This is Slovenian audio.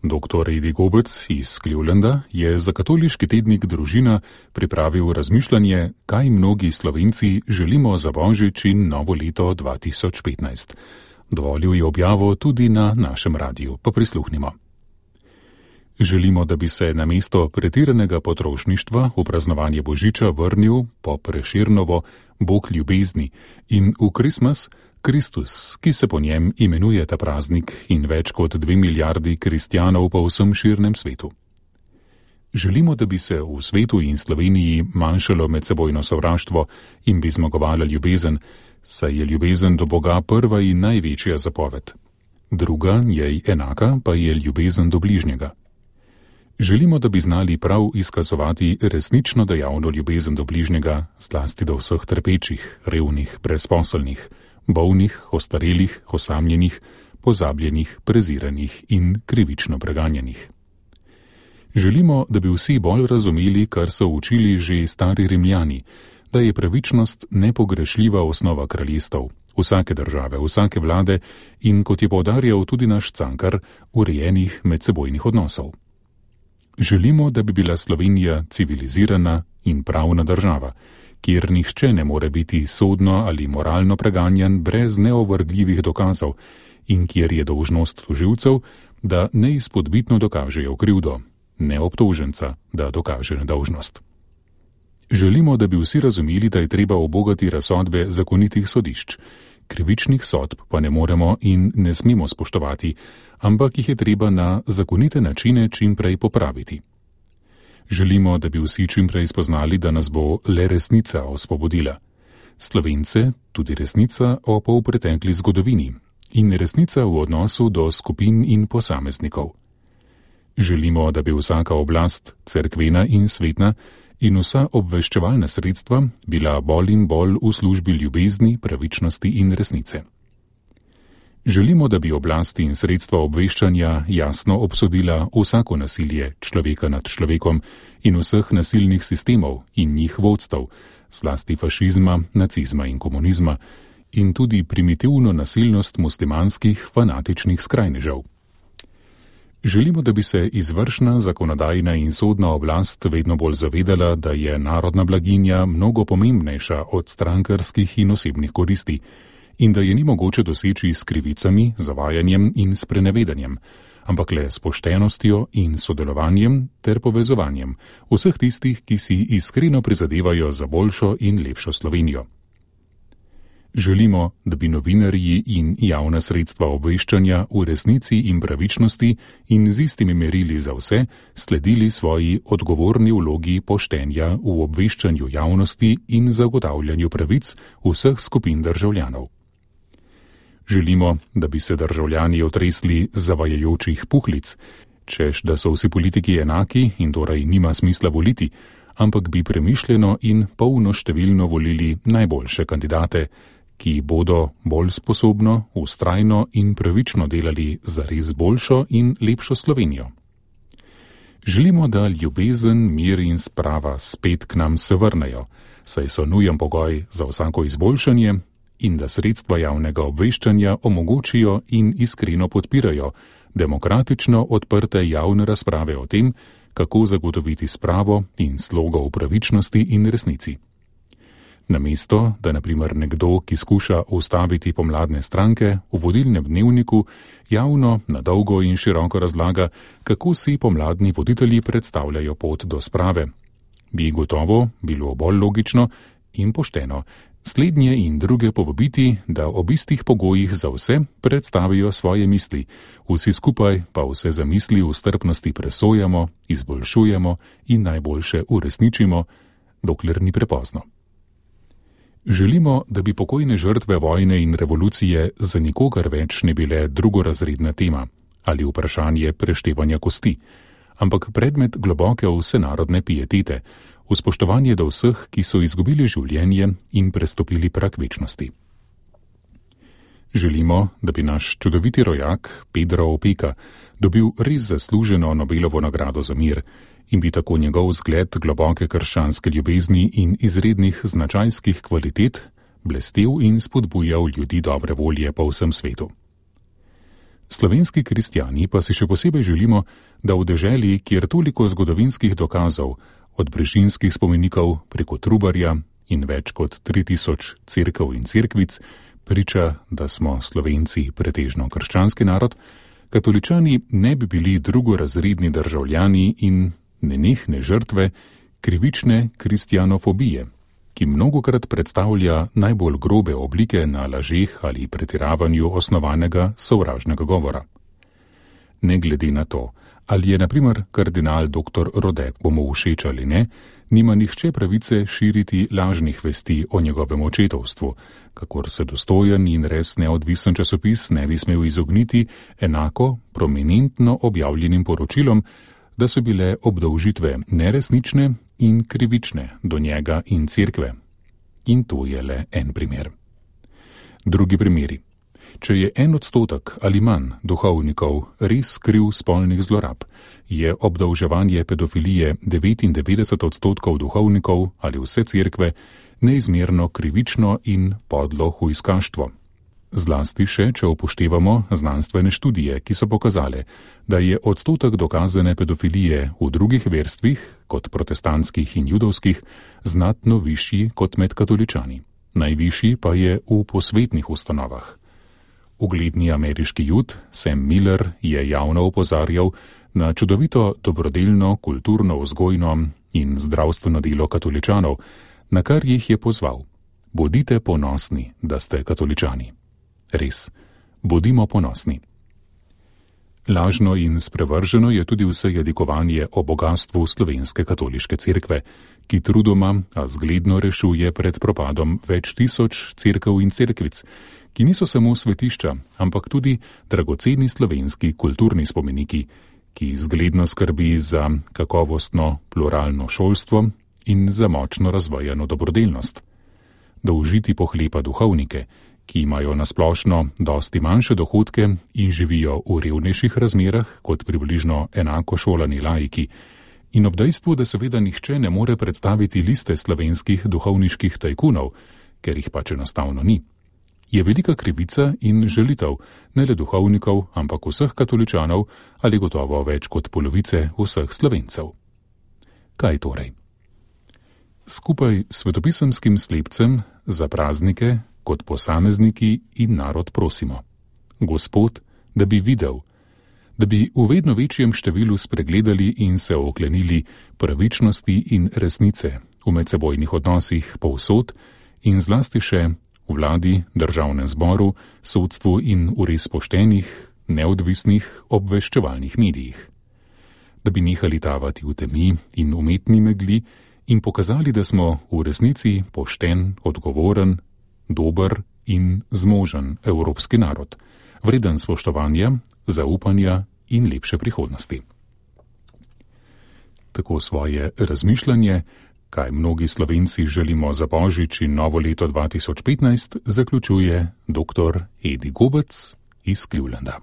Dr. Edi Gobec iz Clevelanda je za katoliški tednik Družina pripravil razmišljanje, kaj mnogi Slovenci želimo za Božič in novo leto 2015. Dovolil je objavo tudi na našem radiju, pa prisluhnimo. Želimo, da bi se namesto pretiranega potrošništva v praznovanje Božiča vrnil po Prešernovo Bog ljubezni in v Christmas Kristus, ki se po njem imenuje ta praznik in več kot 2 milijardi kristjanov po vsem širnem svetu. Želimo, da bi se v svetu in Sloveniji manjšalo medsebojno sovraštvo in bi zmagovala ljubezen, saj je ljubezen do Boga prva in največja zapoved. Druga, njej enaka, pa je ljubezen do bližnjega. Želimo, da bi znali prav izkazovati resnično dejavno ljubezen do bližnjega, zlasti do vseh trpečih, revnih, brezposelnih, bolnih, ostarelih, osamljenih, pozabljenih, preziranih in krivično preganjenih. Želimo, da bi vsi bolj razumeli, kar so učili že stari Rimljani, da je pravičnost nepogrešljiva osnova kraljestev, vsake države, vsake vlade in, kot je poudarjal tudi naš Cankar, urejenih medsebojnih odnosov. Želimo, da bi bila Slovenija civilizirana in pravna država, kjer nihče ne more biti sodno ali moralno preganjan brez neovrgljivih dokazov in kjer je dolžnost tožilcev, da neizpodbitno dokažejo krivdo, ne obtoženca, da dokaže nedolžnost. Želimo, da bi vsi razumeli, da je treba ubogati razsodbe zakonitih sodišč, krivičnih sodb pa ne moremo in ne smemo spoštovati, ampak jih je treba na zakonite načine čim prej popraviti. Želimo, da bi vsi čim prej spoznali, da nas bo le resnica osvobodila. Slovence tudi resnica o polpretekli zgodovini in resnica v odnosu do skupin in posameznikov. Želimo, da bi vsaka oblast, cerkvena in svetna, in vsa obveščevalna sredstva bila bolj in bolj v službi ljubezni, pravičnosti in resnice. Želimo, da bi oblasti in sredstva obveščanja jasno obsodila vsako nasilje človeka nad človekom in vseh nasilnih sistemov in njih vodstev, zlasti fašizma, nacizma in komunizma, in tudi primitivno nasilnost muslimanskih fanatičnih skrajnežev. Želimo, da bi se izvršna, zakonodajna in sodna oblast vedno bolj zavedala, da je narodna blaginja mnogo pomembnejša od strankarskih in osebnih koristi in da je ni mogoče doseči s krivicami, zavajanjem in sprenevedanjem, ampak le s poštenostjo in sodelovanjem ter povezovanjem vseh tistih, ki si iskreno prizadevajo za boljšo in lepšo Slovenijo. Želimo, da bi novinarji in javna sredstva obveščanja v resnici in pravičnosti in z istimi merili za vse sledili svoji odgovorni vlogi poštenja v obveščanju javnosti in zagotavljanju pravic vseh skupin državljanov. Želimo, da bi se državljani otresli zavajajočih puhlic, češ da so vsi politiki enaki in torej nima smisla voliti, ampak bi premišljeno in polnoštevilno volili najboljše kandidate, ki bodo bolj sposobno, vztrajno in pravično delali za res boljšo in lepšo Slovenijo. Želimo, da ljubezen, mir in sprava spet k nam se vrnejo, saj so nujen pogoj za vsako izboljšanje in da sredstva javnega obveščanja omogočijo in iskreno podpirajo demokratično odprte javne razprave o tem, kako zagotoviti spravo in slogo v pravičnosti in resnici. Namesto, da na primer nekdo, ki skuša ustaviti pomladne stranke, v vodilnem dnevniku javno, na dolgo in široko razlaga, kako si pomladni voditelji predstavljajo pot do sprave, bi gotovo bilo bolj logično in pošteno slednje in druge povabiti, da ob istih pogojih za vse predstavijo svoje misli, vsi skupaj pa vse zamisli v strpnosti presojamo, izboljšujemo in najboljše uresničimo, dokler ni prepozno. Želimo, da bi pokojne žrtve vojne in revolucije za nikogar več ne bile drugorazredna tema ali vprašanje preštevanja kosti, ampak predmet globoke vsenarodne pietete, v spoštovanje do vseh, ki so izgubili življenje in prestopili prag večnosti. Želimo, da bi naš čudoviti rojak Pedro Opeka dobil res zasluženo Nobelovo nagrado za mir in bi tako njegov zgled globoke krščanske ljubezni in izrednih značajskih kvalitet blestel in spodbujal ljudi dobre volje po vsem svetu. Slovenski kristjani pa si še posebej želimo, da v deželi, kjer toliko zgodovinskih dokazov, od brežinskih spomenikov preko Trubarja in več kot 3000 cerkev in cerkvic, priča, da smo Slovenci pretežno krščanski narod, katoličani ne bi bili drugorazredni državljani in nenehne žrtve krivične kristjanofobije, ki mnogokrat predstavlja najbolj grobe oblike na lažeh ali pretiravanju osnovanega sovražnega govora. Ne glede na to, ali je na primer kardinal dr. Rode komu všeč ali ne, nima nihče pravice širiti lažnih vesti o njegovem očetovstvu, kakor se dostojen in res neodvisen časopis ne bi smel izogniti enako prominentno objavljenim poročilom, da so bile obdolžitve neresnične in krivične do njega in cerkve. In to je le en primer. Drugi primeri. Če je 1% ali manj duhovnikov res kriv spolnih zlorab, je obdolževanje pedofilije 99% duhovnikov ali vse cerkve neizmerno krivično in podlo hujskaštvo. Zlasti še, če upoštevamo znanstvene študije, ki so pokazale, da je odstotek dokazane pedofilije v drugih verstvih, kot protestantskih in judovskih, znatno višji kot med katoličani. Najvišji pa je v posvetnih ustanovah. Ugledni ameriški jud Sam Miller je javno opozarjal na čudovito dobrodelno, kulturno, vzgojno in zdravstveno delo katoličanov, na kar jih je pozval: bodite ponosni, da ste katoličani. Res, bodimo ponosni. Lažno in sprevrženo je tudi vse jadikovanje o bogastvu slovenske katoliške cerkve, ki trudoma, a zgledno rešuje pred propadom več tisoč cerkev in cerkvic, ki niso samo svetišča, ampak tudi dragoceni slovenski kulturni spomeniki, ki zgledno skrbi za kakovostno pluralno šolstvo in za močno razvojeno dobrodelnost. Dolžiti pohlepa duhovnike, ki imajo nasplošno dosti manjše dohodke in živijo v revnejših razmerah kot približno enako šolani laiki, in ob dejstvu, da seveda nihče ne more predstaviti liste slovenskih duhovniških tajkunov, ker jih pač enostavno ni, je velika krivica in žalitev ne le duhovnikov, ampak vseh katoličanov ali gotovo več kot polovice vseh Slovencev. Kaj torej? Skupaj s svetopisemskim slepcem za praznike kot posamezniki in narod prosimo: Gospod, da bi videl, da bi v vedno večjem številu spregledali in se oklenili pravičnosti in resnice v medsebojnih odnosih povsod in zlasti še v vladi, državnem zboru, sodstvu in v res poštenih, neodvisnih obveščevalnih medijih. Da bi nehali tavati v temi in umetni megli in pokazali, da smo v resnici pošten, odgovoren, dober in zmožen evropski narod, vreden spoštovanja, zaupanja in lepše prihodnosti. Tako svoje razmišljanje, kaj mnogi Slovenci želimo za Božič in novo leto 2015, zaključuje dr. Edi Gobec iz Clevelanda.